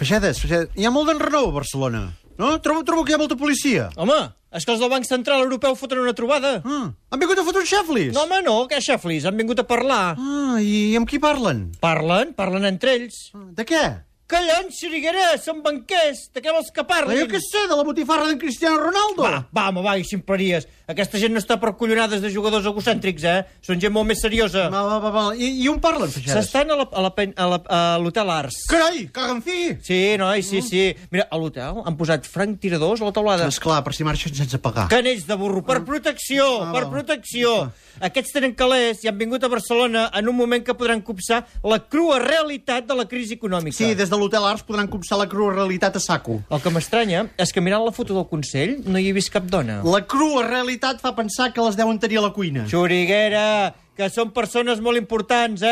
Feixedes, hi ha molt d'enrenou a Barcelona, no? Trobo que hi ha molta policia. Home, és que els del Banc Central Europeu foten una trobada. Han vingut a fotre uns xaflis? No, home, no, què xaflis? Han vingut a parlar. I amb qui parlen? Parlen entre ells. De què? Collons, Xuriguera, són banquers. De què vols que parlin? Jo què sé, de la botifarra d'en Cristiano Ronaldo. Va, i ximpleries. Aquesta gent no està per collonades de jugadors egocèntrics, Són gent molt més seriosa. Va. I on parlen, Feixedes? S'estan a l'Hotel Ars. Carai, caga en fi! Sí, noi, sí. Mira, a l'hotel han posat franc tiradors a la taulada. Esclar, per si marxen sense pagar. Canells de burro, per protecció, per protecció. Aquests tenen calés i han vingut a Barcelona en un moment que podran copsar la crua realitat de la crisi econòmica. Sí, des de l'Hotel Ars podran copsar la crua realitat a saco. El que m'estranya és que mirant la foto del Consell no hi he vist cap dona. La crua realitat fa pensar que les deuen tenir a la cuina. Xuriguera, que són persones molt importants,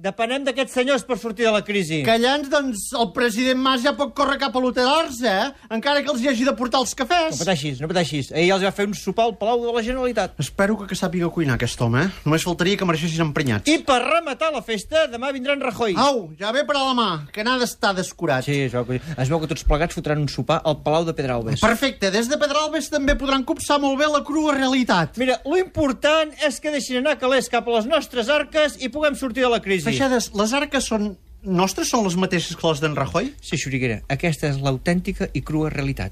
Depenem d'aquests senyors per sortir de la crisi. Callants, doncs, el president Mas ja pot córrer cap a l'Hotel Ars, Encara que els hi hagi de portar els cafès. No pateixis. Ahir ja els va fer un sopar al Palau de la Generalitat. Espero que sàpiga cuinar, aquest home, Només faltaria que marxessis emprenyats. I per rematar la festa, demà vindrà en Rajoy. Au, ja ve per a la mà, que n'ha d'estar descurat. Sí, es veu que tots plegats fotran un sopar al Palau de Pedralbes. Perfecte, des de Pedralbes també podran copsar molt bé la crua realitat. Mira, lo important és que deixin anar calés cap a les nostres arques i puguem sortir de la crisi. Feixedes, les arques són nostres? Són les mateixes que les d'en Rajoy? Sí, Xuriguera, aquesta és l'autèntica i crua realitat.